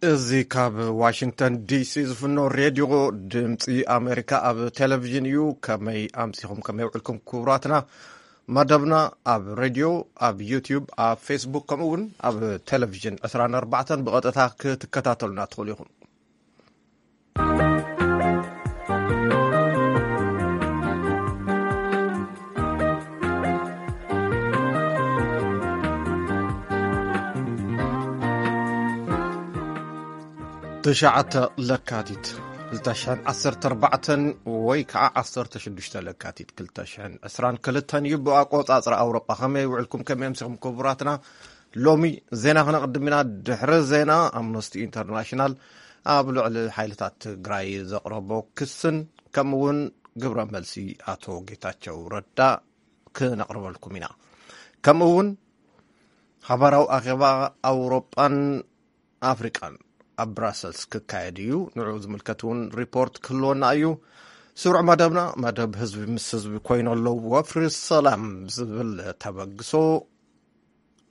እዚ ካብ ዋሽንግተን ዲሲ ዝፍኖ ሬድዮ ድምፂ ኣሜሪካ ኣብ ቴሌቪዥን እዩ። ከመይ ኣምሲኹም፣ ከመይ ውዕልኩም ክቡራትና? መደብና ኣብ ሬድዮ፣ ኣብ ዩቲዩብ፣ ኣብ ፌስቡክ፣ ከምኡ እውን ኣብ ቴሌቪዥን ዕስራን ኣርባዕተን ብቐጥታ ክትከታተሉና ትኽእሉ ኢኹም። ትሽዓተ ለካቲት ክልተ ሽሕን ዓሰርተ ኣርባዕተን ወይ ከዓ ዓሰርተ ሽዱሽተ ለካቲት ክልተ ሽሕን ዕስራን ክልተን እዩ ብኣቆፃፅራ ኣውሮጳ። ከመይ ውዕልኩም፣ ከመይ ኣምሲኹም ክቡራትና? ሎሚ ዜና ክነቕድም ኢና። ድሕሪ ዜና፣ ኣምነስቲ ኢንተርናሽናል ኣብ ልዕሊ ሓይልታት ትግራይ ዘቕረቦ ክስን ከምኡ እውን ግብረ መልሲ ኣቶ ጌታቸው ረዳ ክነቕርበልኩም ኢና። ከምኡ እውን ሓባራዊ ኣኼባ ኣውሮጳን ኣፍሪቃን ኣብ ብራሰልስ ክካየድ እዩ። ንዕኡ ዝምልከት እውን ሪፖርት ክህልወና እዩ። ስሩዕ መደብና፣ መደብ ህዝቢ ምስ ህዝቢ ኮይኑ ኣሎ፣ ወፍሪ ሰላም ዝብል ተበግሶ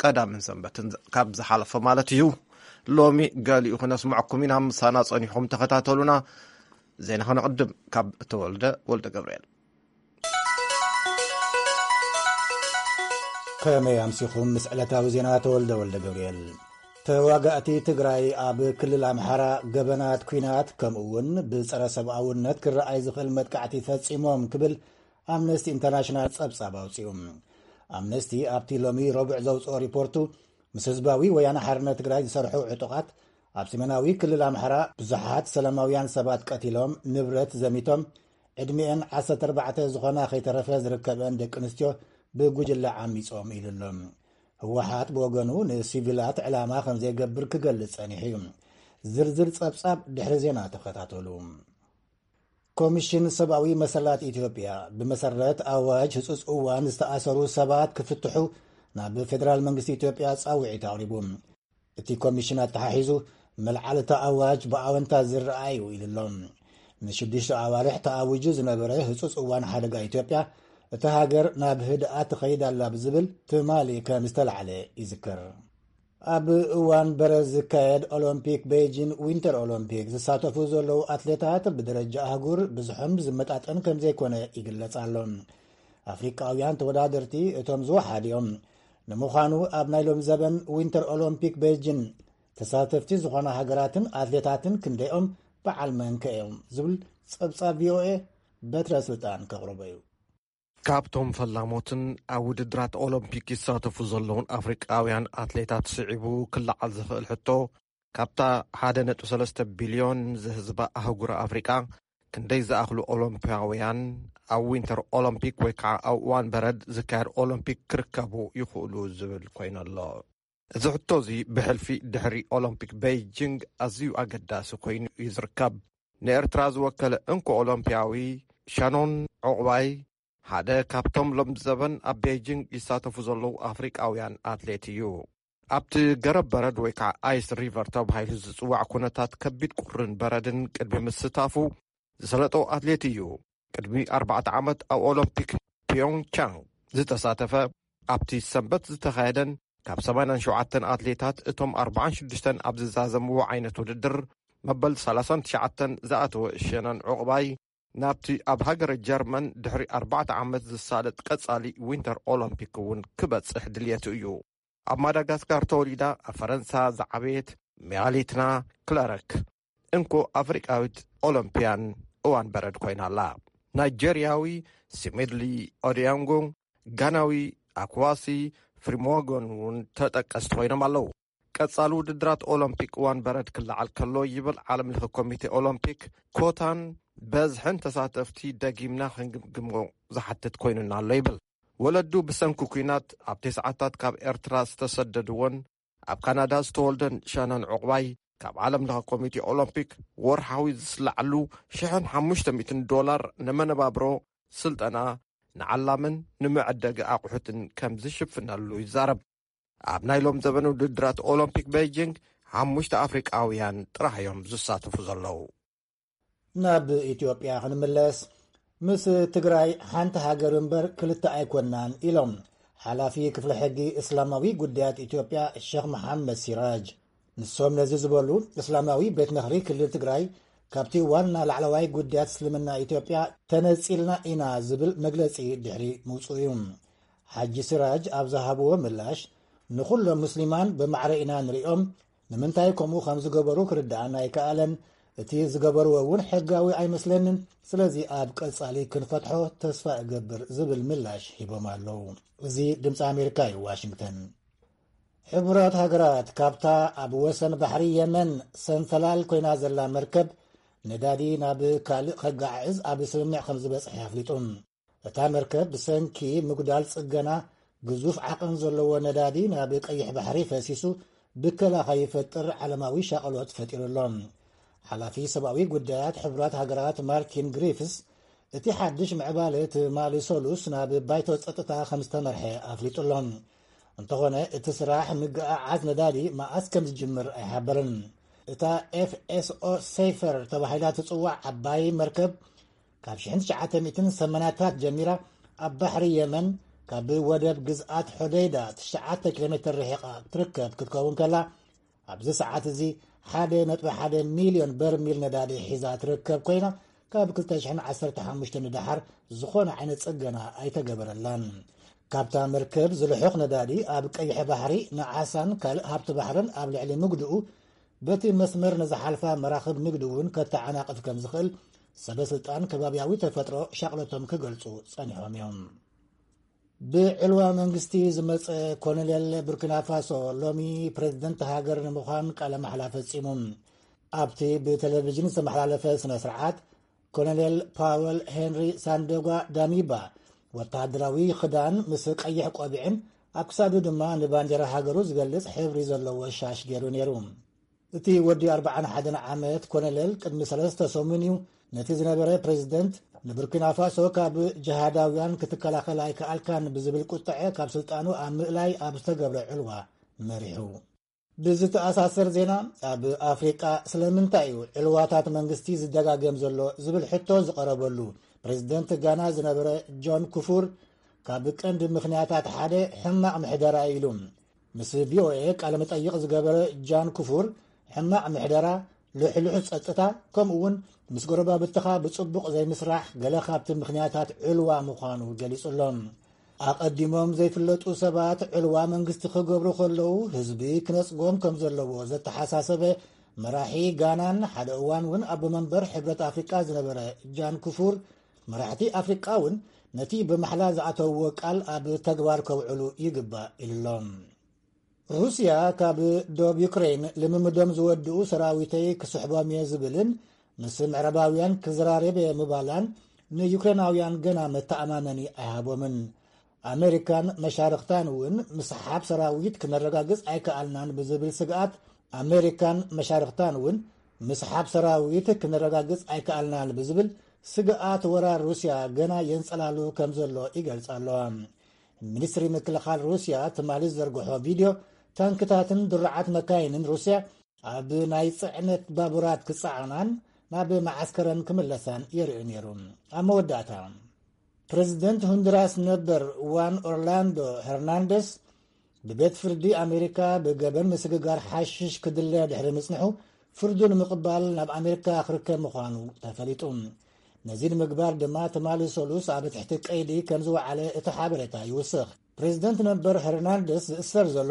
ቀዳምን ሰንበትን ካብ ዝሓለፈ ማለት እዩ። ሎሚ ገሊኡ ክነስምዐኩም ኢና። ምሳና ጸኒሕኩም ተኸታተሉና። ዜና ከነቕድም ካብ ተወልደ ወልደ ገብርኤል። ከመይ ኣምሲኹም? ምስ ዕለታዊ ዜና ተወልደ ወልደ ገብርኤል። ተዋጋእቲ ትግራይ ኣብ ክልል ኣምሓራ ገበናት ኲናት ከምኡ እውን ብጸረ ሰብኣውነት ክረኣይ ዝኽእል መጥቃዕቲ ፈጺሞም ክብል ኣምነስቲ ኢንተርናሽናል ጸብጻብ ኣውጺኡ። ኣምነስቲ ኣብቲ ሎሚ ረቡዕ ዘውጽኦ ሪፖርቱ፣ ምስ ህዝባዊ ወያነ ሓርነት ትግራይ ዝሰርሑ ዕጡቓት ኣብ ሰሜናዊ ክልል ኣምሓራ ብዙሓት ሰላማውያን ሰባት ቀቲሎም፣ ንብረት ዘሚቶም፣ ዕድሚኤን ዓሰርተ ኣርባዕተ ዝኾና ከይተረፈ ዝርከበን ደቂ ኣንስትዮ ብጉጅለ ዓሚጾም ኢሉ ኣሎ። ህወሓት ብወገኑ ንሲቪላት ዕላማ ከም ዘይገብር ክገልጽ ጸኒሑ እዩ። ዝርዝር ጸብጻብ ድሕሪ ዜና ተኸታተሉ። ኮሚሽን ሰብኣዊ መሰላት ኢትዮጵያ ብመሰረት ኣዋጅ ህጹጽ እዋን ዝተኣሰሩ ሰባት ክፍትሑ ናብ ፌደራል መንግስቲ ኢትዮጵያ ጻውዒት ኣቕሪቡ። እቲ ኮሚሽን ኣተሓሒዙ፣ መልዓል እቲ ኣዋጅ ብኣወንታ ዝረኣ እዩ ኢሉ ኣሎ። ንሽዱሽተ ኣዋርሕ ተኣዊጁ ዝነበረ ህጹጽ እዋን ሓደጋ ኢትዮጵያ፣ እታ ሃገር ናብ ህድኣት ትኸይድ ኣላ ብዝብል ትማሊ ከም ዝተላዕለ ይዝከር። ኣብ እዋን በረድ ዝካየድ ኦሎምፒክ ቤጂን ዊንተር ኦሎምፒክ ዝሳተፉ ዘለዉ ኣትሌታት ብደረጃ ኣህጉር ብዝሖም ዝመጣጠን ከም ዘይኮነ ይግለጽ ኣሎ። ኣፍሪቃውያን ተወዳደርቲ እቶም ዝወሓዱ እዮም። ንምዃኑ ኣብ ናይ ሎም ዘበን ዊንተር ኦሎምፒክ ቤጂን ተሳተፍቲ ዝኾና ሃገራትን ኣትሌታትን ክንደይኦም በዓል መንከ እዮም ዝብል ጸብጻብ ቪኦኤ በትረ ስልጣን ከቕርቦ እዩ። ካብቶም ፈላሞትን ኣብ ውድድራት ኦሎምፒክ ይሳተፉ ዘለውን ኣፍሪቃውያን ኣትሌታት ስዒቡ ክለዓል ዝኽእል ሕቶ፣ ካብታ ሓደ ነጥቢ ሰለስተ ቢልዮን ዝህዝባ ኣህጉር ኣፍሪቃ ክንደይ ዝኣኽሉ ኦሎምፒያውያን ኣብ ዊንተር ኦሎምፒክ ወይ ከዓ ኣብ እዋን በረድ ዝካየድ ኦሎምፒክ ክርከቡ ይኽእሉ ዝብል ኮይኑ ኣሎ። እዚ ሕቶ እዚ ብሕልፊ ድሕሪ ኦሎምፒክ ቤይጂንግ ኣዝዩ ኣገዳሲ ኮይኑ እዩ ዝርከብ። ንኤርትራ ዝወከለ እንኮ ኦሎምፒያዊ ሻኖን ዑቕባይ ሓደ ካብቶም ሎም ዘበን ኣብ ቤይጂንግ ይሳተፉ ዘለዉ ኣፍሪቃውያን ኣትሌት እዩ። ኣብቲ ገረብ በረድ ወይ ከዓ ኣይስ ሪቨር ተባሂሉ ዝጽዋዕ ኩነታት ከቢድ ቁርን በረድን ቅድሚ ምስታፉ ዝሰለጦ ኣትሌት እዩ። ቅድሚ ኣርባዕተ ዓመት ኣብ ኦሎምፒክ ፒዮንግቻንግ ዝተሳተፈ፣ ኣብቲ ሰንበት ዝተኻየደን ካብ ሰማንያን ሸውዓተን ኣትሌታት እቶም ኣርባዓን ሽዱሽተን ኣብ ዝዛዘምዎ ዓይነት ውድድር መበል ሰላሳን ትሽዓተን ዝኣተወ ሸነን ዑቕባይ፣ ናብቲ ኣብ ሃገረ ጀርመን ድሕሪ ኣርባዕተ ዓመት ዝሳለጥ ቀጻሊ ዊንተር ኦሎምፒክ እውን ክበጽሕ ድልየቱ እዩ። ኣብ ማዳጋስካር ተወሊዳ ኣብ ፈረንሳ ዝዓበየት ሚያሊትና ክለረክ እንኮ ኣፍሪቃዊት ኦሎምፒያን እዋን በረድ ኮይና ኣላ። ናይጀርያዊ ሲሚድሊ ኦዲያንጎ፣ ጋናዊ ኣክዋሲ ፍሪሞጎን እውን ተጠቀስቲ ኮይኖም ኣለዉ። ቀጻሊ ውድድራት ኦሎምፒክ እዋን በረድ ክለዓል ከሎ ይብል ዓለም ለኸ ኮሚቴ ኦሎምፒክ፣ ኮታን በዝሕን ተሳተፍቲ ደጊምና ክንግምግሞ ዝሓትት ኮይኑና ኣሎ ይብል። ወለዱ ብሰንኪ ኲናት ኣብ ተስዓታት ካብ ኤርትራ ዝተሰደድዎን ኣብ ካናዳ ዝተወልደን ሻነን ዑቕባይ፣ ካብ ዓለም ለኸ ኮሚቴ ኦሎምፒክ ወርሓዊ ዝስላዓሉ ሽሕን ሓሙሽተ ሚእትን ዶላር ንመነባብሮ፣ ስልጠና፣ ንዓላምን ንመዐደጊ ኣቑሑትን ከም ዝሽፍነሉ ይዛረብ። ኣብ ናይ ሎም ዘበን ውድድራት ኦሎምፒክ ቤይጂንግ ሓሙሽተ ኣፍሪቃውያን ጥራሕ እዮም ዝሳተፉ ዘለዉ። ናብ ኢትዮጵያ ክንምለስ፣ ምስ ትግራይ ሓንቲ ሃገር እምበር ክልተ ኣይኮናን ኢሎም ሓላፊ ክፍሊ ሕጊ እስላማዊ ጉዳያት ኢትዮጵያ ሸኽ መሓመድ ሲራጅ። ንሶም ነዚ ዝበሉ፣ እስላማዊ ቤት ምኽሪ ክልል ትግራይ ካብቲ ዋና ላዕለዋይ ጉዳያት እስልምና ኢትዮጵያ ተነጺልና ኢና ዝብል መግለጺ ድሕሪ ምውጽኡ እዩ። ሓጂ ሲራጅ ኣብ ዝሃብዎ ምላሽ፣ ንኹሎም ሙስሊማን ብማዕረ ኢና ንሪኦም፣ ንምንታይ ከምኡ ከም ዝገበሩ ክርድኣና ኣይከኣለን፣ እቲ ዝገበርዎ እውን ሕጋዊ ኣይመስለንን፣ ስለዚ ኣብ ቀጻሊ ክንፈትሖ ተስፋ እገብር ዝብል ምላሽ ሂቦም ኣለዉ። እዚ ድምፂ ኣሜሪካ እዩ፣ ዋሽንግተን። ሕቡራት ሃገራት ካብታ ኣብ ወሰን ባሕሪ የመን ሰንፈላል ኮይና ዘላ መርከብ ነዳዲ ናብ ካልእ ከጋዕዝ ኣብ ስምምዕ ከም ዝበጽሐ ኣፍሊጡ። እታ መርከብ ብሰንኪ ምጉዳል ጽገና ግዙፍ ዓቐን ዘለዎ ነዳዲ ናብ ቀይሕ ባሕሪ ፈሲሱ ብከላ ከይፈጥር ዓለማዊ ሻቕሎት ፈጢሩ ኣሎ። ሓላፊ ሰብኣዊ ጉዳያት ሕቡራት ሃገራት ማርቲን ግሪፍስ እቲ ሓድሽ ምዕባለ ትማሊ ሰሉስ ናብ ባይቶ ጸጥታ ከም ዝተመርሐ ኣፍሊጡ ኣሎ። እንተኾነ እቲ ስራሕ ምግዓዓዝ ነዳዲ መኣስ ከም ዝጅምር ኣይሓበርን። እታ ኤፍኤስኦ ሴይፈር ተባሂላ ትጽዋዕ ዓባይ መርከብ ካብ ሽሕን ትሽዓተ ሚእትን ሰማንያታት ጀሚራ ኣብ ባሕሪ የመን ካብ ወደብ ግዝኣት ሖደይዳ ትሽዓተ ኪሎ ሜትር ርሒቓ ትርከብ ክትከውን ከላ፣ ኣብዚ ሰዓት እዚ ሓደ ነጥቢ ሓደ ሚልዮን በርሚል ነዳዲ ሒዛ ትርከብ ኮይና፣ ካብ ክልተ ሽሕን ዓሰርተ ሓሙሽተን ንደሓር ዝኾነ ዓይነት ጽገና ኣይተገበረላን። ካብታ መርከብ ዝልሑኽ ነዳዲ ኣብ ቀይሕ ባሕሪ ንዓሳን ካልእ ሃብቲ ባሕርን ኣብ ልዕሊ ምግድኡ፣ በቲ መስመር ንዝሓልፋ መራኽብ ንግዲ እውን ከተዓናቕፍ ከም ዝኽእል ሰበ ስልጣን ከባብያዊ ተፈጥሮ ሻቕሎቶም ክገልጹ ጸኒሖም እዮም። ብዕልዋ መንግስቲ ዝመጸ ኮሎኔል ቡርኪና ፋሶ ሎሚ ፕሬዝደንት ሃገር ንምዃን ቃለ ማሕላ ፈጺሙ። ኣብቲ ብቴሌቪዥን ዝተመሓላለፈ ስነ ስርዓት፣ ኮሎኔል ፓወል ሄንሪ ሳንደጓ ዳሚባ ወተሃደራዊ ክዳን ምስ ቀይሕ ቆቢዕን ኣብ ክሳዱ ድማ ንባንዴራ ሃገሩ ዝገልጽ ሕብሪ ዘለዎ ሻሽ ገይሩ ነይሩ። እቲ ወዲ ኣርብዓን ሓደን ዓመት ኮሎኔል ቅድሚ ሰለስተ ሰሙን እዩ ነቲ ዝነበረ ፕሬዝደንት ንቡርኪና ፋሶ ካብ ጅሃዳውያን ክትከላኸል ኣይከኣልካን ብዝብል ቁጥዐ ካብ ስልጣኑ ኣብ ምእላይ ኣብ ዝተገብረ ዕልዋ መሪሑ። ብዝተኣሳሰር ዜና፣ ኣብ ኣፍሪቃ ስለምንታይ እዩ ዕልዋታት መንግስቲ ዝደጋገም ዘሎ ዝብል ሕቶ ዝቐረበሉ፣ ፕሬዝደንት ጋና ዝነበረ ጆን ኩፉር ካብ ቀንዲ ምኽንያታት ሓደ ሕማቕ ምሕደራ እዩ ኢሉ። ምስ ቪኦኤ ቃለ መጠይቕ ዝገበረ ጃን ኩፉር፣ ሕማቕ ምሕደራ፣ ልሕሉሕ ጸጥታ፣ ከምኡ እውን ምስ ጎረባብትኻ ብጽቡቕ ዘይምስራሕ ገለ ካብቲ ምኽንያታት ዕልዋ ምዃኑ ገሊጹ ኣሎ። ኣቐዲሞም ዘይፍለጡ ሰባት ዕልዋ መንግስቲ ክገብሩ ከለዉ ህዝቢ ክነጽጎም ከም ዘለዎ ዘተሓሳሰበ መራሒ ጋናን ሓደ እዋን እውን ኣቦ መንበር ሕብረት ኣፍሪቃ ዝነበረ ጃን ኩፉር፣ መራሕቲ ኣፍሪቃ እውን ነቲ ብማሕላ ዝኣተውዎ ቃል ኣብ ተግባር ከውዕሉ ይግባእ ኢሉ ኣሎ። ሩስያ ካብ ዶብ ዩክሬን ልምምዶም ዝወድኡ ሰራዊተይ ክስሕቦም እየ ዝብልን ምስ ምዕራባውያን ክዘራረብ እየ ምባላን ንዩክሬናውያን ገና መተኣማመኒ ኣይሃቦምን። ኣሜሪካን መሻርኽታን እውን ምስሓብ ሰራዊት ክነረጋግጽ ኣይከኣልናን ብዝብል ስግኣት፣ ኣሜሪካን መሻርኽታን እውን ምስሓብ ሰራዊት ክነረጋግጽ ኣይከኣልናን ብዝብል ስግኣት ወራር ሩስያ ገና የንጸላሉ ከም ዘሎ ይገልጻ ኣለዋ። ሚኒስትሪ ምክልኻል ሩስያ ትማሊ ዝዘርግሖ ቪድዮ፣ ታንክታትን ድሩዓት መካይንን ሩስያ ኣብ ናይ ጽዕነት ባቡራት ክጸዓናን ናብ መዓስከረን ክምለሳን የርእዩ ነይሩ። ኣብ መወዳእታ፣ ፕሬዚደንት ሆንዱራስ ነበር ዋን ኦርላንዶ ሄርናንደስ ብቤት ፍርዲ ኣሜሪካ ብገበን ምስግጋር ሓሽሽ ክድለ ድሕሪ ምጽንሑ፣ ፍርዱ ንምቕባል ናብ ኣሜሪካ ክርከብ ምዃኑ ተፈሊጡ። ነዚ ንምግባር ድማ ትማሊ ሰሉስ ኣብ ትሕቲ ቀይዲ ከም ዝወዓለ እቲ ሓበሬታ ይውስኽ። ፕሬዚደንት ነበር ሄርናንደስ ዝእሰር ዘሎ፣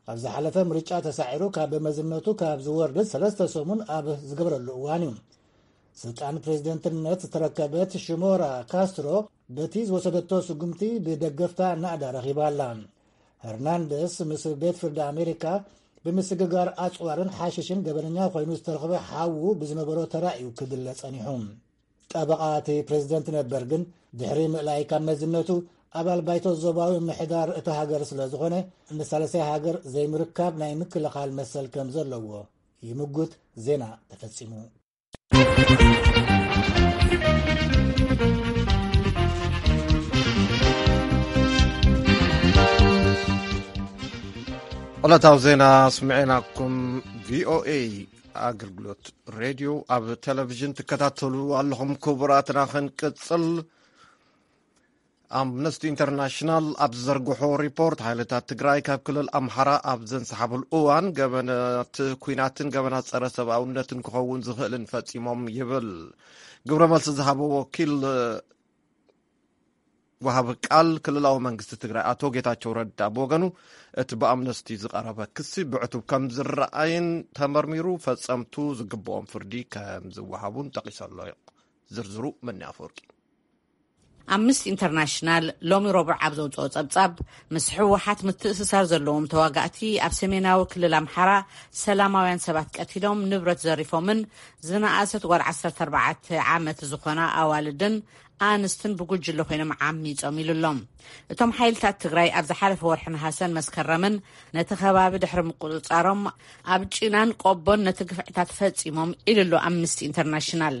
ኣብ ዝሓለፈ ምርጫ ተሳዒሩ ካብ መዝነቱ ካብ ዝወርድ ሰለስተ ሰሙን ኣብ ዝገበረሉ እዋን እዩ። ስልጣን ፕሬዚደንትነት ዝተረከበት ሽሞራ ካስትሮ በቲ ዝወሰደቶ ስጉምቲ ብደገፍታ ናእዳ ረኺባ ኣላ። ሄርናንደስ ምስ ቤት ፍርዲ ኣሜሪካ ብምስግጋር ኣጽዋርን ሓሽሽን ገበነኛ ኮይኑ ዝተረኽበ ሓዉ ብዝነበሮ ተራ እዩ ክድለ ጸኒሑ። ጠበቓ እቲ ፕሬዚደንት ነበር ግን ድሕሪ ምእላይ ካብ መዝነቱ፣ ኣባል ባይቶ ዞባዊ ምሕዳር እታ ሃገር ስለ ዝኾነ፣ ንሳልሳይ ሃገር ዘይምርካብ ናይ ምክልኻል መሰል ከም ዘለዎ ይምጉት። ዜና ተፈጺሙ። ዕለታዊ ዜና ስምዕናኩም። ቪኦኤ ኣገልግሎት ሬድዮ ኣብ ቴሌቪዥን ትከታተሉ ኣለኹም። ክቡራትና ክንቅጽል፣ ኣምነስቲ ኢንተርናሽናል ኣብ ዝዘርግሖ ሪፖርት፣ ሓይልታት ትግራይ ካብ ክልል ኣምሓራ ኣብ ዘንሰሓብሉ እዋን ገበናት ኲናትን ገበናት ጸረ ሰብኣውነትን ክኸውን ዝኽእልን ፈጺሞም ይብል። ግብረ መልሲ ዝሃበ ወኪል ወሃቢ ቃል ክልላዊ መንግስቲ ትግራይ ኣቶ ጌታቸው ረዳ ብወገኑ፣ እቲ ብኣምነስቲ ዝቐረበ ክሲ ብዕቱብ ከም ዝረኣይን ተመርሚሩ ፈጸምቱ ዝግብኦም ፍርዲ ከም ዝወሃቡን ጠቒሱ ኣሎ። ዝርዝሩ መኒ ኣፈወርቂ። ኣምነስቲ ኢንተርናሽናል ሎሚ ረቡዕ ኣብ ዘውፅኦ ጸብጻብ፣ ምስ ህወሓት ምትእስሳር ዘለዎም ተዋጋእቲ ኣብ ሰሜናዊ ክልል ኣምሓራ ሰላማውያን ሰባት ቀቲሎም ንብረት ዘሪፎምን ዝነኣሰት ጓል ዓሰርተ ኣርባዕተ ዓመት ዝኾና ኣዋልድን ኣንስትን ብጉጅለ ኮይኖም ዓሚጾም ኢሉ ኣሎ። እቶም ሓይልታት ትግራይ ኣብ ዝሓለፈ ወርሒ ነሃሰን መስከረምን ነቲ ከባቢ ድሕሪ ምቁጽጻሮም፣ ኣብ ጭናን ቆቦን ነቲ ግፍዕታት ፈጺሞም ኢሉ ኣሎ ኣምነስቲ ኢንተርናሽናል።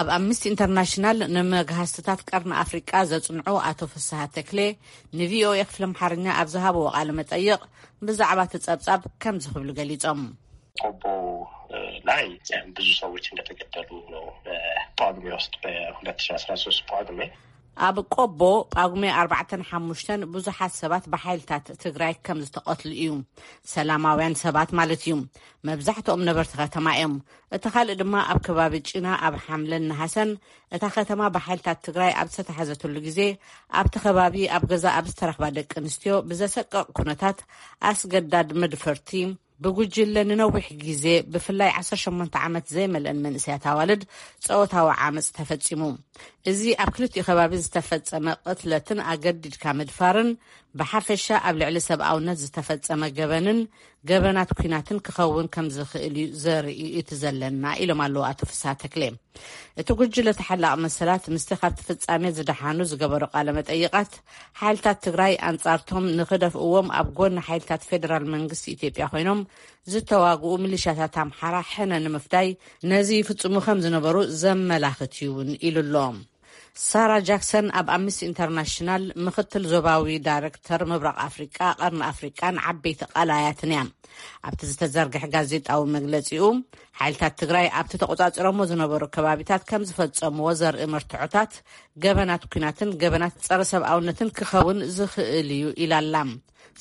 ኣብ ኣምነስቲ ኢንተርናሽናል ንመግሃስትታት ቀርኒ ኣፍሪቃ ዘጽንዑ ኣቶ ፍስሃ ተክሌ ንቪኦኤ ክፍሊ ኣምሓርኛ ኣብ ዝሃብዎ ቃለ መጠይቕ፣ ብዛዕባ እቲ ጸብጻብ ከምዚ ክብሉ ገሊጾም። ቆቦ ላይ ብዙ ሰዎች እንደተገደሉ ነው። በጳጉሜ ውስጥ በሁለት ሺ አስራ ሶስት ጳጉሜ። ኣብ ቆቦ ጳጉሜ ኣርባዕተን ሓሙሽተን ብዙሓት ሰባት ብሓይልታት ትግራይ ከም ዝተቐትሉ እዩ። ሰላማውያን ሰባት ማለት እዩ። መብዛሕትኦም ነበርቲ ከተማ እዮም። እቲ ካልእ ድማ ኣብ ከባቢ ጭና ኣብ ሓምለን ነሃሰን እታ ከተማ ብሓይልታት ትግራይ ኣብ ዝተታሕዘትሉ ግዜ፣ ኣብቲ ከባቢ ኣብ ገዛ ኣብ ዝተረኽባ ደቂ ኣንስትዮ ብዘሰቅቕ ኩነታት ኣስገዳድ መድፈርቲ ብጉጅለ ንነዊሕ ግዜ፣ ብፍላይ ዓሰርተ ሸሞንተ ዓመት ዘይመልአን መንእሰያት ኣዋልድ ጾታዊ ዓመጽ ተፈጺሙ። እዚ ኣብ ክልቲኡ ከባቢ ዝተፈጸመ ቅትለትን ኣገዲድካ ምድፋርን፣ ብሓፈሻ ኣብ ልዕሊ ሰብኣውነት ዝተፈጸመ ገበንን ገበናት ኲናትን ክኸውን ከም ዝኽእል እዩ ዘርኢ እቲ ዘለና፣ ኢሎም ኣለዉ ኣቶ ፍስሃ ተክሌ። እቲ ጉጅለ ተሓላቒ መሰላት ምስቲ ካብቲ ፍጻሜ ዝደሓኑ ዝገበሮ ቃለ መጠይቓት፣ ሓይልታት ትግራይ ኣንጻርቶም ንኽደፍእዎም ኣብ ጎኒ ሓይልታት ፌደራል መንግስቲ ኢትዮጵያ ኮይኖም ዝተዋግኡ ሚሊሻታት ኣምሓራ ሕነ ንምፍዳይ ነዚ ይፍጽሙ ከም ዝነበሩ ዘመላኽት እዩ እውን ኢሉ ኣሎ። ሳራ ጃክሰን ኣብ ኣምነስቲ ኢንተርናሽናል ምኽትል ዞባዊ ዳይሬክተር ምብራቕ ኣፍሪቃ፣ ቀርኒ ኣፍሪቃን ዓበይቲ ቀላያትን እያ። ኣብቲ ዝተዘርግሐ ጋዜጣዊ መግለጺኡ፣ ሓይልታት ትግራይ ኣብቲ ተቖጻጺሮሞ ዝነበሩ ከባቢታት ከም ዝፈጸምዎ ዘርኢ መርትዖታት ገበናት ኲናትን ገበናት ጸረ ሰብኣውነትን ክኸውን ዝኽእል እዩ ኢላ ኣላ።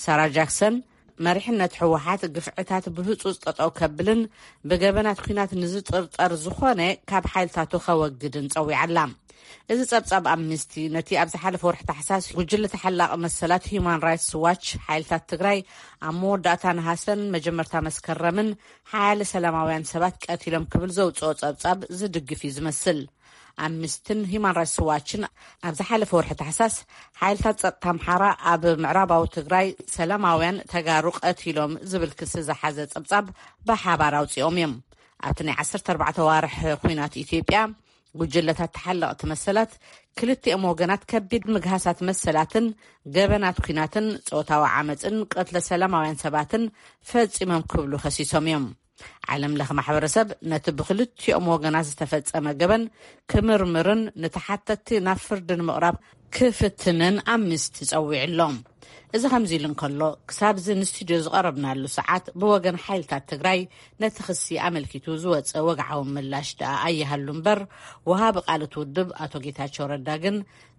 ሳራ ጃክሰን፣ መሪሕነት ህወሓት ግፍዕታት ብህጹጽ ጠጠው ከብልን ብገበናት ኲናት ንዝጥርጠር ዝኾነ ካብ ሓይልታቱ ከወግድን ጸዊዓ ኣላ። እዚ ጸብጻብ ኣምነስቲ ነቲ ኣብ ዝሓለፈ ወርሒ ታሕሳስ ጉጅለ ተሓላቒ መሰላት ሂዩማን ራይትስ ዋች፣ ሓይልታት ትግራይ ኣብ መወዳእታ ነሃሰን መጀመርታ መስከረምን ሓያለ ሰላማውያን ሰባት ቀቲሎም ክብል ዘውጽኦ ጸብጻብ ዝድግፍ እዩ ዝመስል። ኣምነስትን ሂዩማን ራይትስ ዋችን ኣብ ዝሓለፈ ወርሒ ታሕሳስ፣ ሓይልታት ጸጥታ ኣምሓራ ኣብ ምዕራባዊ ትግራይ ሰላማውያን ተጋሩ ቀቲሎም ዝብል ክሲ ዝሓዘ ጸብጻብ ብሓባር ኣውጺኦም እዮም። ኣብቲ ናይ ዓሰርተ ኣርባዕተ ዋርሕ ኲናት ኢትዮጵያ፣ ጉጅለታት ተሓለቕቲ መሰላት ክልቲኦም ወገናት ከቢድ ምግሃሳት መሰላትን ገበናት ኲናትን ጾታዊ ዓመጽን ቅትለ ሰላማውያን ሰባትን ፈጺሞም ክብሉ ከሲሶም እዮም። ዓለም ለኸ ማሕበረሰብ ነቲ ብክልቲኦም ወገናት ዝተፈጸመ ገበን ክምርምርን ንተሓተትቲ ናብ ፍርዲ ንምቕራብ ክፍትንን ኣምነስቲ ጸዊዑ ኣሎ። እዚ ከምዚ ኢሉ እንከሎ፣ ክሳብ እዚ ንስቱድዮ ዝቐረብናሉ ሰዓት ብወገን ሓይልታት ትግራይ ነቲ ክሲ ኣመልኪቱ ዝወጸ ወግዓዊ ምላሽ ደኣ ኣይሃሉ እምበር፣ ወሃቢ ቃል እቲ ውድብ ኣቶ ጌታቸው ረዳ ግን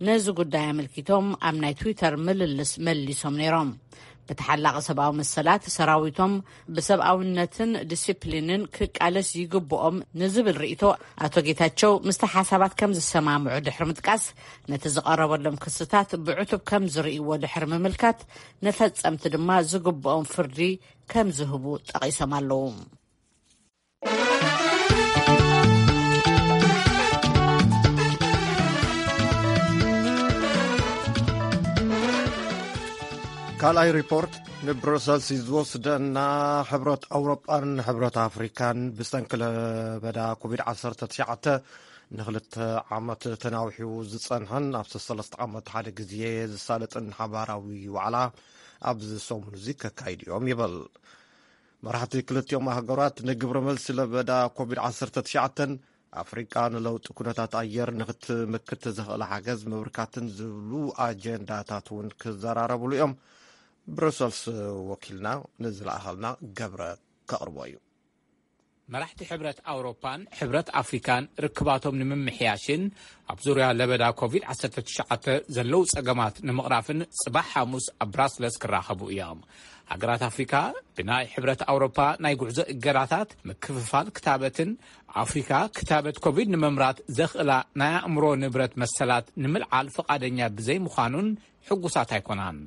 ነዚ ጉዳይ ኣመልኪቶም ኣብ ናይ ትዊተር ምልልስ መሊሶም ነይሮም። ብተሓላቒ ሰብኣዊ መሰላት ሰራዊቶም ብሰብኣውነትን ዲሲፕሊንን ክቃለስ ይግብኦም ንዝብል ርእይቶ ኣቶ ጌታቸው ምስቲ ሓሳባት ከም ዝሰማምዑ ድሕሪ ምጥቃስ፣ ነቲ ዝቐረበሎም ክስታት ብዕቱብ ከም ዝርእይዎ ድሕሪ ምምልካት፣ ንፈጸምቲ ድማ ዝግብኦም ፍርዲ ከም ዝህቡ ጠቒሶም ኣለዉ። ካልኣይ ሪፖርት ንብሩሰልስ እዩ ዝወስደና። ሕብረት ኣውሮጳን ሕብረት ኣፍሪካን ብሰንኪ ለበዳ ኮቪድ ዓሰርተ ትሽዓተ ንክልተ ዓመት ተናዊሑ ዝጸንሐን ኣብ ሰለስተ ዓመት ሓደ ግዜ ዝሳለጥን ሓባራዊ ዋዕላ ኣብዚ ሰሙን እዚ ከካይዱ እዮም ይብል። መራሕቲ ክልቲኦም ሃገራት ንግብረ መልሲ ለበዳ ኮቪድ ዓሰርተ ትሽዓተ ኣፍሪቃ ንለውጢ ኩነታት ኣየር ንክትምክት ዘኽእል ሓገዝ ምብርካትን ዝብሉ ኣጀንዳታት እውን ክዘራረብሉ እዮም። ብሩሰልስ ወኪልና ንዝለኣኸልና ገብረ ከቕርቦ እዩ። መራሕቲ ሕብረት ኣውሮፓን ሕብረት ኣፍሪካን ርክባቶም ንምምሕያሽን ኣብ ዙርያ ለበዳ ኮቪድ ዓሰርተ ትሽዓተ ዘለዉ ጸገማት ንምቕራፍን ጽባሕ ሓሙስ ኣብ ብራስለስ ክራኸቡ እዮም። ሃገራት ኣፍሪካ ብናይ ሕብረት ኣውሮፓ ናይ ጉዕዞ እገዳታት፣ ምክፍፋል ክታበትን ኣፍሪካ ክታበት ኮቪድ ንምምራት ዘኽእላ ናይ ኣእምሮ ንብረት መሰላት ንምልዓል ፍቓደኛ ብዘይምዃኑን ሕጉሳት ኣይኮናን።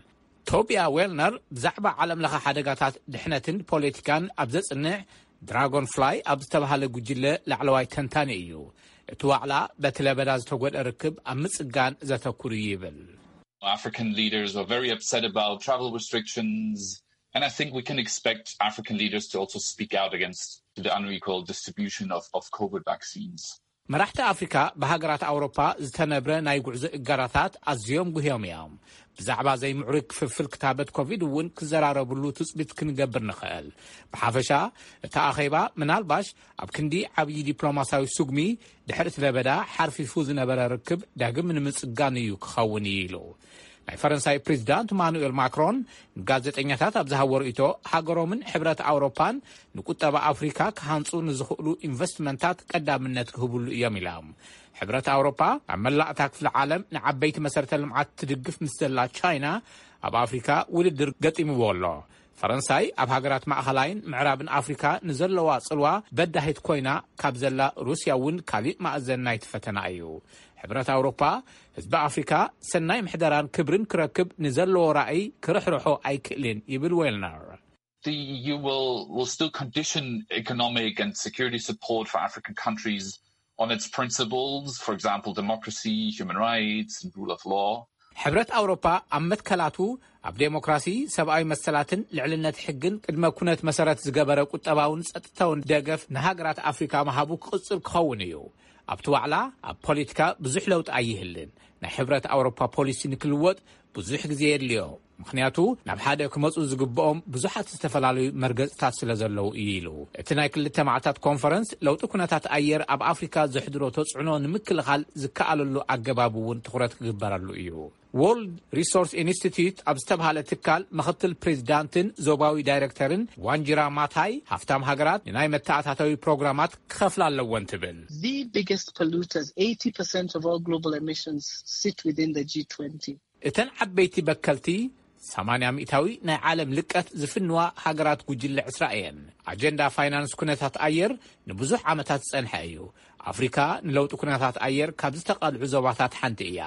ቶቢያ ዌልነር ብዛዕባ ዓለም ለኸ ሓደጋታት ድሕነትን ፖለቲካን ኣብ ዘጽንዕ ድራጎን ፍላይ ኣብ ዝተባህለ ጉጅለ ላዕለዋይ ተንታኒ እዩ። እቲ ዋዕላ በቲ ለበዳ ዝተጎድአ ርክብ ኣብ ምጽጋን ዘተኩር እዩ ይብል። African leaders are very upset about travel restrictions, and I think we can expect African leaders to also speak out against the unequal distribution of, of COVID vaccines. መራሕቲ ኣፍሪካ ብሃገራት ኣውሮፓ ዝተነብረ ናይ ጉዕዞ እገዳታት ኣዝዮም ጉህዮም እዮም። ብዛዕባ ዘይምዕሩይ ክፍፍል ክታበት ኮቪድ እውን ክዘራረብሉ ትጽቢት ክንገብር ንኽእል። ብሓፈሻ እቲ ኣኼባ ምናልባሽ ኣብ ክንዲ ዓብዪ ዲፕሎማሲያዊ ስጉሚ ድሕሪ እቲ ለበዳ ሓርፊፉ ዝነበረ ርክብ ዳግም ንምጽጋን እዩ ክኸውን እዩ ኢሉ። ናይ ፈረንሳይ ፕሬዚዳንት ማኑኤል ማክሮን ንጋዜጠኛታት ኣብ ዝሃቦ ርእይቶ፣ ሃገሮምን ሕብረት ኣውሮፓን ንቁጠባ ኣፍሪካ ክሃንጹ ንዝኽእሉ ኢንቨስትመንታት ቀዳምነት ክህብሉ እዮም ኢሎም። ሕብረት ኣውሮፓ ኣብ መላእ እታ ክፍለ ዓለም ንዓበይቲ መሰረተ ልምዓት ትድግፍ ምስ ዘላ ቻይና፣ ኣብ ኣፍሪካ ውድድር ገጢምዎ ኣሎ። ፈረንሳይ ኣብ ሃገራት ማእኸላይን ምዕራብን ኣፍሪካ ንዘለዋ ጽልዋ በዳሂት ኮይና ካብ ዘላ ሩስያ እውን ካሊእ ማእዘን ናይቲ ፈተና እዩ። ሕብረት ኣውሮፓ ህዝቢ ኣፍሪካ ሰናይ ምሕደራን ክብርን ክረክብ ንዘለዎ ራእይ ክርሕርሖ ኣይክእልን ይብል ዌልነር። The E U will, will still condition economic and security support for African countries on its principles, for example, democracy, human rights, and rule of law. ሕብረት ኣውሮፓ ኣብ መትከላቱ ኣብ ዴሞክራሲ፣ ሰብኣዊ መሰላትን ልዕልነት ሕግን ቅድመ ኩነት መሰረት ዝገበረ ቁጠባውን ጸጥታውን ደገፍ ንሃገራት ኣፍሪካ ምሃቡ ክቕጽል ክኸውን እዩ። ኣብቲ ዋዕላ ኣብ ፖለቲካ ብዙሕ ለውጢ ኣይህልን። ናይ ሕብረት ኣውሮፓ ፖሊሲ ንክልወጥ ብዙሕ ግዜ የድልዮ። ምኽንያቱ ናብ ሓደ ክመጹ ዝግብኦም ብዙሓት ዝተፈላለዩ መርገጽታት ስለ ዘለዉ እዩ ኢሉ። እቲ ናይ ክልተ መዓልታት ኮንፈረንስ ለውጢ ኩነታት ኣየር ኣብ ኣፍሪካ ዘሕድሮ ተጽዕኖ ንምክልኻል ዝከኣለሉ ኣገባብ እውን ትኹረት ክግበረሉ እዩ። ወርልድ ሪሶርስ ኢንስቲትዩት ኣብ ዝተብሃለ ትካል ምኽትል ፕሬዚዳንትን ዞባዊ ዳይሬክተርን ዋንጅራ ማታይ፣ ሃፍታም ሃገራት ንናይ መተኣታተዊ ፕሮግራማት ክኸፍላ ኣለወን ትብል። The biggest polluters, eighty percent of all global emissions, sit within the G twenty. እተን ዓበይቲ በከልቲ ሰማንያ ሚእታዊ ናይ ዓለም ልቀት ዝፍንዋ ሃገራት ጉጅለ ዕስራ እየን። ኣጀንዳ ፋይናንስ ኩነታት ኣየር ንብዙሕ ዓመታት ዝጸንሐ እዩ። ኣፍሪካ ንለውጢ ኩነታት ኣየር ካብ ዝተቓልዑ ዞባታት ሓንቲ እያ።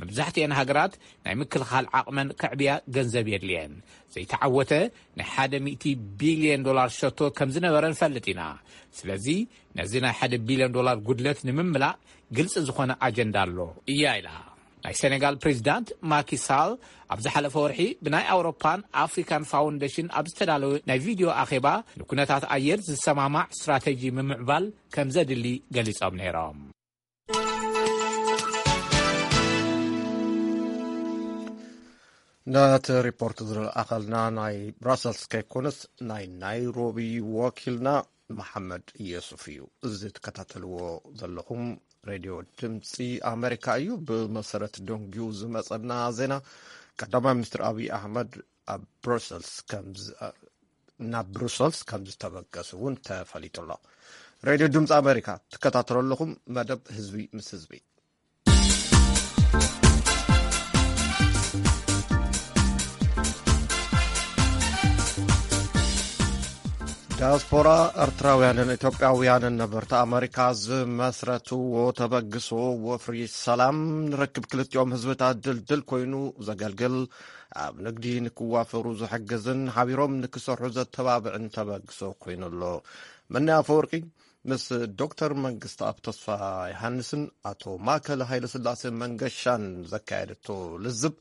መብዛሕትኤን ሃገራት ናይ ምክልኻል ዓቕመን ከዕብያ ገንዘብ የድልየን። ዘይተዓወተ ናይ ሓደ ሚእቲ ቢልዮን ዶላር ሸቶ ከም ዝነበረ ንፈልጥ ኢና። ስለዚ ነዚ ናይ ሓደ ቢልዮን ዶላር ጉድለት ንምምላእ ግልፂ ዝኾነ ኣጀንዳ ኣሎ እያ ኢላ። ናይ ሴኔጋል ፕሬዚዳንት ማኪ ሳል ኣብ ዝሓለፈ ወርሒ ብናይ ኣውሮፓን ኣፍሪካን ፋውንዴሽን ኣብ ዝተዳለወ ናይ ቪድዮ ኣኼባ ንኩነታት ኣየር ዝሰማማዕ ስትራቴጂ ምምዕባል ከም ዘድሊ ገሊጾም ነይሮም። ነቲ ሪፖርት ዝለኣኸልና ናይ ብራሰልስ ከይኮነስ ናይ ናይሮቢ ወኪልና መሓመድ የሱፍ እዩ። እዚ ትከታተልዎ ዘለኹም ሬድዮ ድምፂ ኣሜሪካ እዩ። ብመሰረት ደንጉዩ ዝመፀና ዜና፣ ቀዳማይ ሚኒስትር ኣብይ ኣሕመድ ኣብ ብሩሰልስ ከም ናብ ብሩሰልስ ከም ዝተበገሱ እውን ተፈሊጡ ኣሎ። ሬድዮ ድምፂ ኣሜሪካ ትከታተሉ ኣለኹም። መደብ ህዝቢ ምስ ህዝቢ። ዳያስፖራ ኤርትራውያንን ኢትዮጵያውያንን ነበርቲ ኣመሪካ ዝመስረትዎ ተበግሶ ወፍሪ ሰላም ንርክብ ክልቲኦም ህዝብታት ድልድል ኮይኑ ዘገልግል፣ ኣብ ንግዲ ንክዋፈሩ ዝሕግዝን ሓቢሮም ንክሰርሑ ዘተባብዕን ተበግሶ ኮይኑ ኣሎ። መኒ ኣፈወርቂ ምስ ዶክተር መንግስት ኣብ ተስፋ ዮሃንስን ኣቶ ማእከል ሃይለስላሴ መንገሻን ዘካየደቶ ልዝብ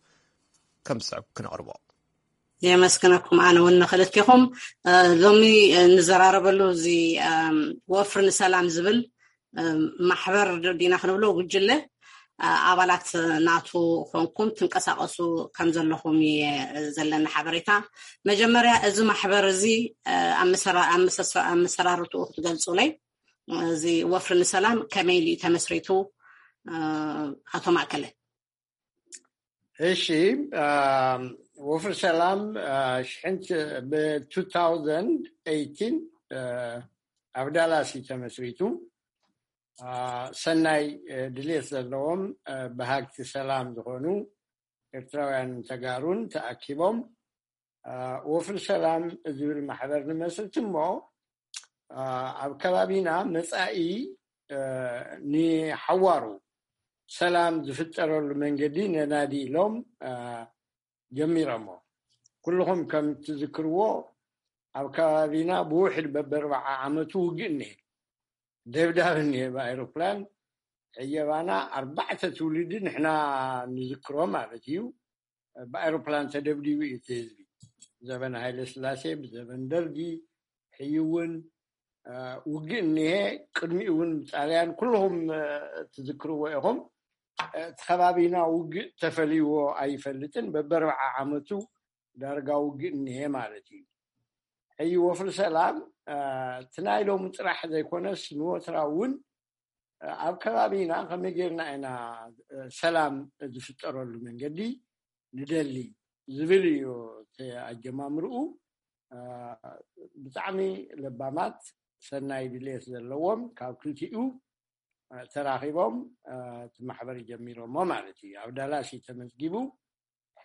ከም ዝስዕብ ክነቕርቦ። የመስግነኩም ኣነ እውን ንክልቲኹም። ሎሚ ንዘራረበሉ እዚ ወፍሪ ንሰላም ዝብል ማሕበር ዲና ክንብሎ ጉጅለ ኣባላት ናቱ ኮንኩም ትንቀሳቀሱ ከም ዘለኹም እየ ዘለኒ ሓበሬታ። መጀመርያ እዚ ማሕበር እዚ ኣመሰራርትኡ ክትገልፁለይ፣ እዚ ወፍሪ ንሰላም ከመይ ኢሉ እዩ ተመስሪቱ? ኣቶ ማእከለ። እሺ፣ ወፍሪ ሰላም ሽሕን ብ two thousand eighteen ኣብ ዳላስ እዩ ተመስሪቱ። ሰናይ ድሌት ዘለዎም በሃግቲ ሰላም ዝኾኑ ኤርትራውያን ተጋሩን ተኣኪቦም ወፍሪ ሰላም ዝብል ማሕበር ንመስርት እሞ ኣብ ከባቢና መፃኢ ንሓዋሩ ሰላም ዝፍጠረሉ መንገዲ ነናዲ ኢሎም ጀሚሮሞ። ኩልኹም ከም ትዝክርዎ ኣብ ከባቢና ብውሕድ በበርባዓ ዓመቱ ውግእ እኒሀ፣ ደብዳብ እኒሀ ብኣይሮፕላን። ሕየባና ኣርባዕተ ትውልዲ ንሕና ንዝክሮ ማለት እዩ። ብኣይሮፕላን ተደብዲቡ እዩ እቲ ህዝቢ። ዘበን ሃይለ ስላሴ፣ ብዘበን ደርጊ፣ ሕዩ እውን ውግእ እኒሀ። ቅድሚኡ እውን ብጣልያን ኩልኹም ትዝክርዎ ኢኹም። እቲ ከባቢና ውግእ ተፈልይዎ ኣይፈልጥን። በበርባዓ ዓመቱ ዳርጋ ውግእ እኒሀ ማለት እዩ። ሕዩ ወፍሪ ሰላም እቲ ናይ ሎሚ ጥራሕ ዘይኮነስ ንወትራ እውን ኣብ ከባቢና ከመይ ጌርና ኢና ሰላም ዝፍጠረሉ መንገዲ ንደሊ ዝብል እዩ እቲ ኣጀማምርኡ። ብጣዕሚ ለባማት ሰናይ ድሌት ዘለዎም ካብ ክልቲኡ ተራኺቦም እቲ ማሕበር ጀሚሮሞ ማለት እዩ። ኣብ ዳላስ እዩ ተመዝጊቡ።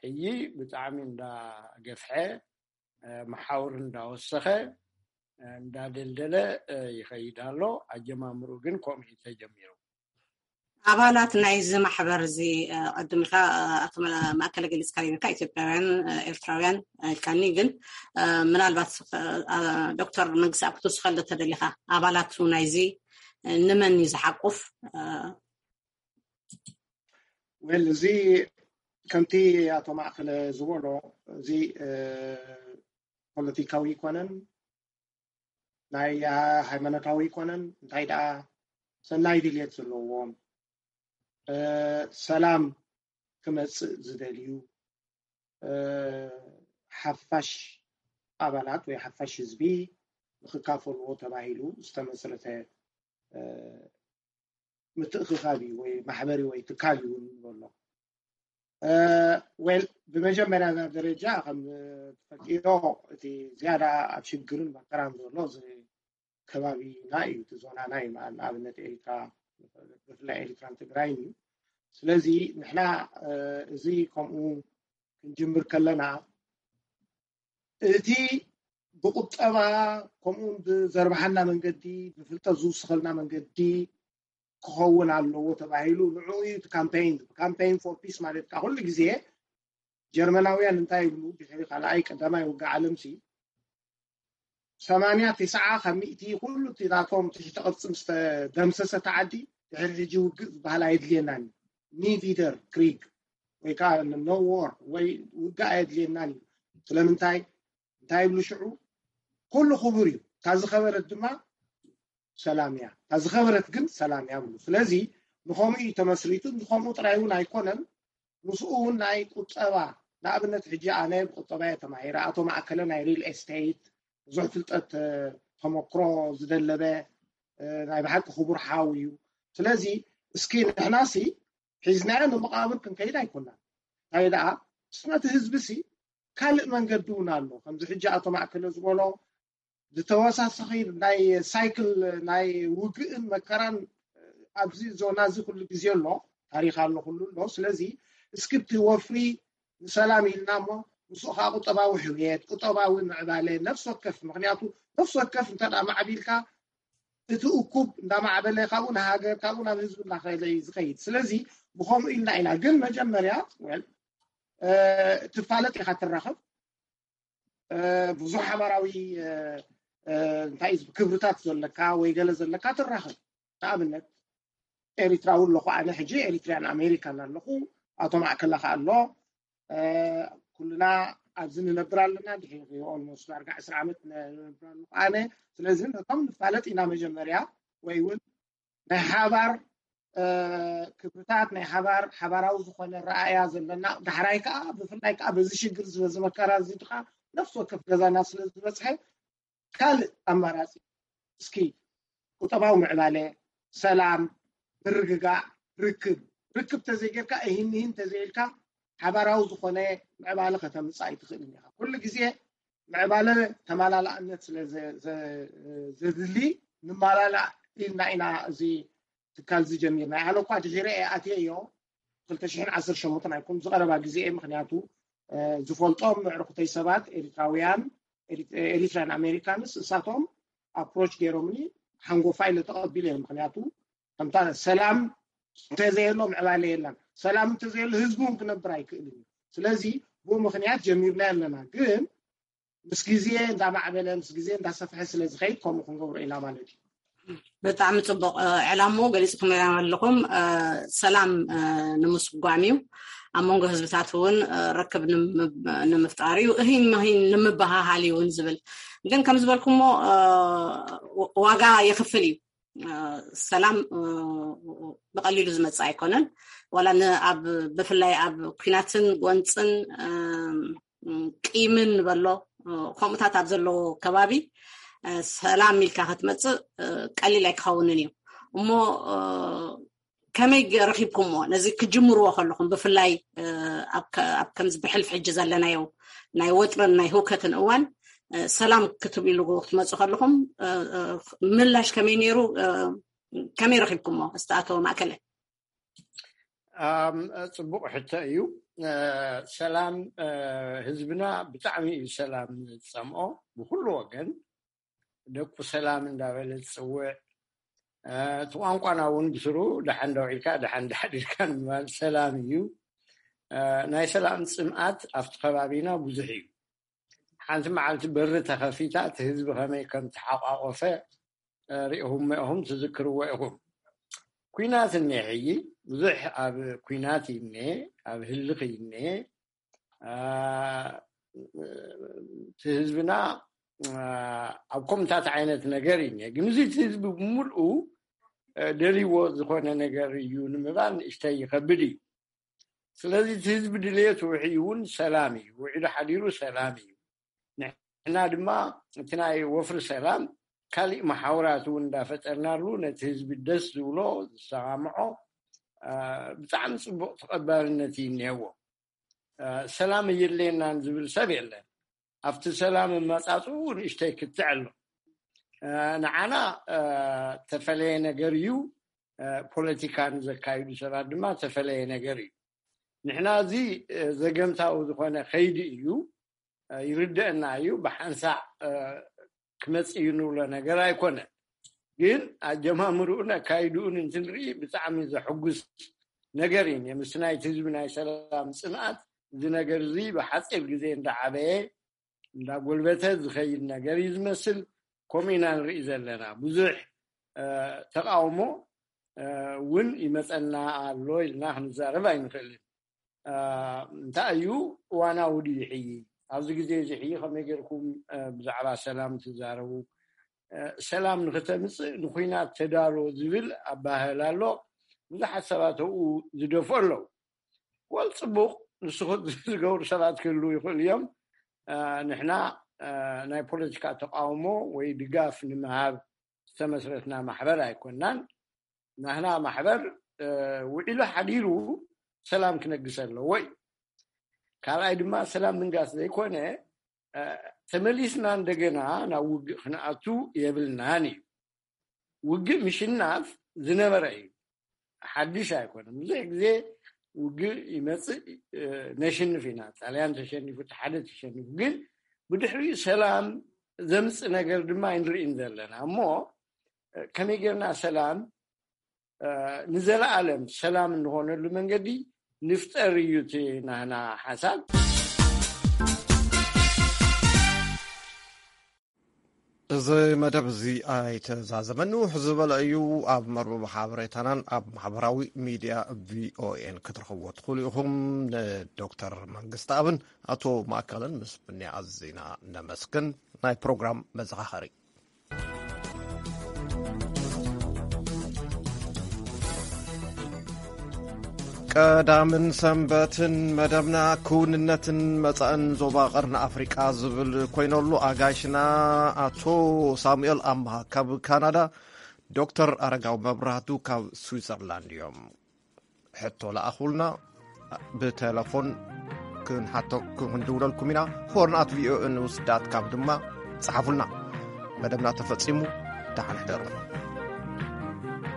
ሕጂ ብጣዕሚ እንዳገፍሐ መሓውር እንዳወሰኸ እንዳደልደለ ይኸይድ ኣሎ። ኣጀማምሩ ግን ከምኡ እዩ ተጀሚሩ። ኣባላት ናይዚ ማሕበር እዚ ቅድም ኢልካ ኣቶ ማእከለ ገሊፅካ ነይርካ፣ ኢትዮጵያውያን፣ ኤርትራውያን ኢልካኒ። ግን ምናልባት ዶክተር መንግስቲ ኣብ ክትውስኸሉ ተደሊኻ ኣባላቱ ናይዚ ንመን እዩ ዝሓቁፍ? ወል እዚ ከምቲ ኣቶ ማእከለ ዝበሎ እዚ ፖለቲካዊ ይኮነን ናይ ሃይማኖታዊ ይኮነን፣ እንታይ ደኣ ሰናይ ድልየት ዘለዎም ሰላም ክመፅእ ዝደልዩ ሓፋሽ ኣባላት ወይ ሓፋሽ ህዝቢ ንክካፈልዎ ተባሂሉ ዝተመስረተ ምትእኽኻብ እዩ ወይ ማሕበሪ ወይ ትካል እዩ ንብሎ። ወል ብመጀመርያ ደረጃ ከም ትፈልጥዮ እቲ ዝያዳ ኣብ ሽግርን መከራን ዘሎ ከባቢና እዩ፣ እቲ ዞናና እዩ። ንኣብነት ኤሪትራ፣ ብፍላይ ኤሪትራን ትግራይን እዩ። ስለዚ ንሕና እዚ ከምኡ ክንጅምር ከለና እቲ ብቁጠባ ከምኡውን ብዘርብሓና መንገዲ ብፍልጠት ዝውስኸልና መንገዲ ክኸውን ኣለዎ ተባሂሉ ንዕኡ እዩ እቲ ካምፔይን። ካምፔይን ፎር ፒስ ማለት ከዓ ኩሉ ግዜ ጀርመናውያን እንታይ ይብሉ ድሕሪ ካልኣይ ቀዳማይ ውግእ ዓለም ሲ ሰማንያ ትስዓ ካብ ሚእቲ ኩሉ እቲ ናቶም ትሕቲ ቅርፂ ምስ ተደምሰሰ እቲ ዓዲ ድሕሪ ሕጂ ውግእ ዝበሃል ኣየድልየናን እዩ። ኒቪደር ክሪግ ወይ ከዓ ኖ ዎር ወይ ውግእ ኣየድልየናን እዩ። ስለምንታይ እንታይ ይብሉ ሽዑ ኩሉ ክቡር እዩ፣ እታ ዝኸበረት ድማ ሰላም እያ፣ እታ ዝኸበረት ግን ሰላም እያ ብሉ። ስለዚ ንኸምኡ እዩ ተመስሪቱ። ንኸምኡ ጥራይ እውን ኣይኮነን፣ ምስኡ እውን ናይ ቁጠባ ንኣብነት ሕጂ ኣነ ብቁጠባ እየ ተማሂረ፣ ኣቶ ማእከለ ናይ ሪል ኤስቴት ብዙሕ ፍልጠት ተመክሮ ዝደለበ ናይ ብሓቂ ክቡር ሓው እዩ። ስለዚ እስኪ ንሕናሲ ሒዝናዮ ንመቃብር ክንከይድ ኣይኮናን። እንታይ ደኣ ምስ ነቲ ህዝቢ ሲ ካልእ መንገዲ እውን ኣሎ። ከምዚ ሕጂ ኣቶ ማእከለ ዝበሎ ዝተወሳሰኺ ናይ ሳይክል ናይ ውግእን መከራን ኣብዚ ዞና እዚ ኩሉ ግዜ ኣሎ፣ ታሪክ ኣሎ፣ ኩሉ ኣሎ። ስለዚ እስክቲ ወፍሪ ንሰላም ኢልና እሞ ምስኡ ከዓ ቁጠባዊ ሕውየት፣ ቁጠባዊ ምዕባለ ነፍሲ ወከፍ፣ ምክንያቱ ነፍሲ ወከፍ እንተ ደኣ ማዕቢልካ እቲ እኩብ እንዳማዕበለ ካብኡ ንሃገር ካብኡ ናብ ህዝቢ እንዳኸለ እዩ ዝኸይድ። ስለዚ ብኸምኡ ኢልና ኢና። ግን መጀመርያ ትፋለጥ ኢኻ ትራኸብ ብዙሕ ሓባራዊ እንታይ ክብርታት ዘለካ ወይ ገለ ዘለካ ትራኸብ። ንኣብነት ኤሪትራዊ ኣለኹ ኣነ ሕጂ ኤሪትሪያን ኣሜሪካን ኣለኹ፣ ኣቶ ማእከለ ከኣ ኣሎ። ኩልና ኣብዚ ንነብር ኣለና፣ ድሕሪ ኦልሞስት ዳርጋ ዕስራ ዓመት ንነብር ኣለኹ ኣነ። ስለዚ ነቶም ንፋለጥ ኢና መጀመርያ ወይ እውን ናይ ሓባር ክብርታት ናይ ሓባር ሓባራዊ ዝኾነ ረኣያ ዘለና፣ ዳሕራይ ከዓ ብፍላይ ከዓ በዚ ሽግር ዝበዚ መከራ እዚ ከዓ ነፍሲ ወከፍ ገዛና ስለ ዝበፅሐ ካልእ ኣማራፂ እስኪ ቁጠባዊ ምዕባለ፣ ሰላም፣ ምርግጋእ፣ ርክብ ርክብ ተዘይጌርካ እሂን ምሂን ተዘይልካ ሓባራዊ ዝኾነ ምዕባለ ከተምፅእ ኣይትኽእልን ኢኻ። ኩሉ ግዜ ምዕባለ ተመላላእነት ስለ ዘድሊ ንመላላእ ኢልና ኢና እዚ ትካል እዚ ጀሚርና። ኣነ እኳ ድሒረ እየ ኣትየዮ፣ ክልተ ሽሕን ዓሰርተ ሸሞንተን ኣይኮን ዝቐረባ ግዜ እየ። ምክንያቱ ዝፈልጦም ምዕርኩተይ ሰባት ኤሪትራውያን፣ ኤሪትራን ኣሜሪካንስ፣ እሳቶም ኣፕሮች ገይሮምኒ፣ ሓንጎፋ ኢለ ተቐቢለ እየ። ምክንያቱ ከምታ ሰላም እንተዘየሎ ምዕባለ የለን። ሰላም እንተዘየሎ ህዝቢ እውን ክነብር ኣይክእልን እዩ። ስለዚ ብኡ ምክንያት ጀሚርና ኣለና። ግን ምስ ግዜ እንዳማዕበለ፣ ምስ ግዜ እንዳሰፍሐ ስለ ዝኸይድ ከምኡ ክንገብሮ ኢና ማለት እዩ። ብጣዕሚ ፅቡቕ ዕላሞ ገሊፅኩም ኣለኹም። ሰላም ንምስጓም እዩ። ኣብ መንጎ ህዝብታት እውን ርክብ ንምፍጣር እዩ። እሂን መሂን ንምበሃሃል እዩ እውን ዝብል። ግን ከም ዝበልኩሞ ዋጋ የኽፍል እዩ። ሰላም ብቐሊሉ ዝመፅእ ኣይኮነን። ዋላ ብፍላይ ኣብ ኩናትን ጎንፅን ቂምን ንበሎ ከምኡታት ኣብ ዘለዎ ከባቢ ሰላም ኢልካ ክትመፅእ ቀሊል ኣይክኸውንን እዩ። እሞ ከመይ ረኪብኩምዎ? ነዚ ክጅምርዎ ከለኹም ብፍላይ ኣብ ከምዚ ብሕልፊ ሕጂ ዘለናዮ ናይ ወጥርን ናይ ህውከትን እዋን ሰላም ክትብሉ ክትመፁ ከለኹም ምላሽ ከመይ ነይሩ? ከመይ ረኪብኩምዎ? እስቲ ኣቶ ማእከለ። ጽቡቕ ሕቶ እዩ። ሰላም፣ ህዝብና ብጣዕሚ እዩ ሰላም ዝጸምኦ ብኩሉ ወገን። ደቁ ሰላም እንዳበለ ዝጽውዕ፣ እቲ ቋንቋና እውን ብስሩ ደሓን ዶ ውዒልካ ደሓን ዶ ሓዲርካ ንምባል ሰላም እዩ። ናይ ሰላም ጽምኣት ኣብቲ ከባቢና ብዙሕ እዩ። ሓንቲ መዓልቲ በሪ ተኸፊታ እቲ ህዝቢ ከመይ ከም ተሓቋቆፈ ሪእኹም ኢኹም ትዝክርዎ ኢኹም። ኩናት እኒአ ሕጂ ብዙሕ ኣብ ኩናት እኒአ ኣብ ህልኽ እኒአ እቲ ህዝብና ኣብ ከምታት ዓይነት ነገር እኒአ ግን እዚ እቲ ህዝቢ ብምልኡ ደልይዎ ዝኾነ ነገር እዩ ንምባል ንእሽተይ ይኸብድ እዩ። ስለዚ እቲ ህዝቢ ድልየት ውዒ እውን ሰላም እዩ። ውዒሉ ሓዲሩ ሰላም እዩ። ንሕና ድማ እቲ ናይ ወፍሪ ሰላም ካሊእ መሓውራት እውን እንዳፈጠርናሉ ነቲ ህዝቢ ደስ ዝብሎ ዝሰማምዖ ብጣዕሚ ፅቡቅ ተቐባልነት እዩ እኒሀዎ። ሰላም እየድልየናን ዝብል ሰብ የለን። ኣብቲ ሰላም መፃፅኡ ንእሽተይ ክትዕ ኣሎ። ንዓና ተፈለየ ነገር እዩ። ፖለቲካ ንዘካይዱ ሰባት ድማ ተፈለየ ነገር እዩ። ንሕና እዚ ዘገምታዊ ዝኾነ ከይዲ እዩ። ይርደአና እዩ። ብሓንሳእ ክመፅእ እዩ ንብሎ ነገር ኣይኮነን። ግን ኣጀማምርኡን ኣካይድኡን እንትንርኢ ብጣዕሚ ዘሕጉስ ነገር እዩ። ምስ ናይቲ ህዝቢ ናይ ሰላም ፅንኣት እዚ ነገር እዚ ብሓፂር ግዜ እንዳዓበየ እንዳጎልበተ ዝኸይድ ነገር እዩ ዝመስል። ከምኡ ኢና ንርኢ ዘለና። ብዙሕ ተቃውሞ እውን ይመፀና ኣሎ ኢልና ክንዛረብ ኣይንኽእልን። እንታይ እዩ እዋናዊ ድዩ ሕይ? ኣብዚ ግዜ እዚ ሕይ ከመይ ገይርኩም ብዛዕባ ሰላም ትዛረቡ? ሰላም ንክተምፅእ ንኩናት ተዳሎ ዝብል ኣባህል ኣሎ። ብዙሓት ሰባት ኣብኡ ዝደፍኦ ኣለዉ። ወል ፅቡቅ ንስኹ ዝገብሩ ሰባት ክህልዉ ይኽእሉ እዮም። ንሕና ናይ ፖለቲካ ተቃውሞ ወይ ድጋፍ ንምሃብ ዝተመስረትና ማሕበር ኣይኮናን። ናህና ማሕበር ውዒሉ ሓዲሩ ሰላም ክነግስ ኣለዎ እዩ። ካልኣይ ድማ ሰላም ምንጋስ ዘይኮነ ተመሊስና እንደገና ናብ ውግእ ክንኣቱ የብልናን እዩ። ውግእ ምሽናፍ ዝነበረ እዩ፣ ሓድሽ ኣይኮነን። ብዙሕ ግዜ ውግእ ይመፅእ፣ ነሽንፍ ኢና። ጣልያን ተሸኒፉ፣ ሓደ ተሸኒፉ፣ ግን ብድሕሪኡ ሰላም ዘምፅእ ነገር ድማ ኣይንርእን ዘለና። እሞ ከመይ ጌርና ሰላም ንዘለኣለም ሰላም እንኾነሉ መንገዲ ንፍጠር እዩ እቲ ናህና ሓሳብ። እዚ መደብ እዚ ኣይተዛዘመን፣ ውሕ ዝበለ እዩ። ኣብ መርበብ ሓበሬታናን ኣብ ማሕበራዊ ሚድያ ቪኦኤን ክትረኽብዎ ትኽእሉ ኢኹም። ንዶክተር መንግስቲ ኣብን ኣቶ ማእከልን ምስ ብኒ ኣዚና ነመስግን። ናይ ፕሮግራም መዘኻኸሪ። ቀዳምን ሰንበትን መደብና ክውንነትን መጻእን ዞባ ቀርኒ ኣፍሪቃ ዝብል ኮይነሉ ኣጋይሽና ኣቶ ሳሙኤል ኣምሃ ካብ ካናዳ፣ ዶክተር ኣረጋዊ መብራህቱ ካብ ስዊዘርላንድ እዮም። ሕቶ ለኣኹልና፣ ብቴለፎን ክንሓቶ ክንድውለልኩም ኢና። ሆርን ኣት ቪኦኤ ኒውስ ዳት ካም ድማ ጸሓፉልና። መደብና ተፈጺሙ። ደሓን ሕደሩ።